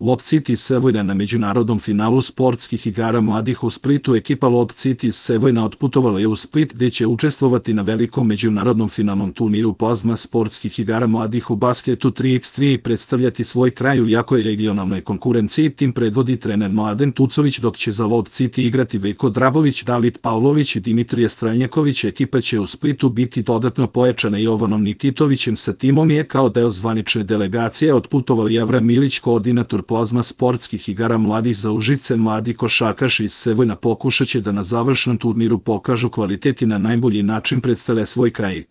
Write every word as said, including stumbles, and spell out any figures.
Lob City iz Sevojna na međunarodnom finalu sportskih igara mladih u Splitu. Ekipa Lob City iz Sevojna otputovala je u Split, gde će učestvovati na velikom međunarodnom finalnom turniru plazma sportskih igara mladih u basketu tri iks tri i predstavljati svoj kraj u jakoj regionalnoj konkurenciji. Tim predvodi trener Mladen Tucović, dok će za Lob City igrati Veljko Drabović, David Pavlović i Dimitrije Stranjaković. Ekipa će u Splitu biti dodatno pojačana Jovanom Nikitovićem. Sa timom je kao deo zvanične delegacije otputovao Javra Milić, koordinator plazma sportskih igara mladih za Užice. Mladi košarkaši iz Sevojna pokušaće da na završnom turniru pokažu kvalitet i na najbolji način predstave svoj kraj.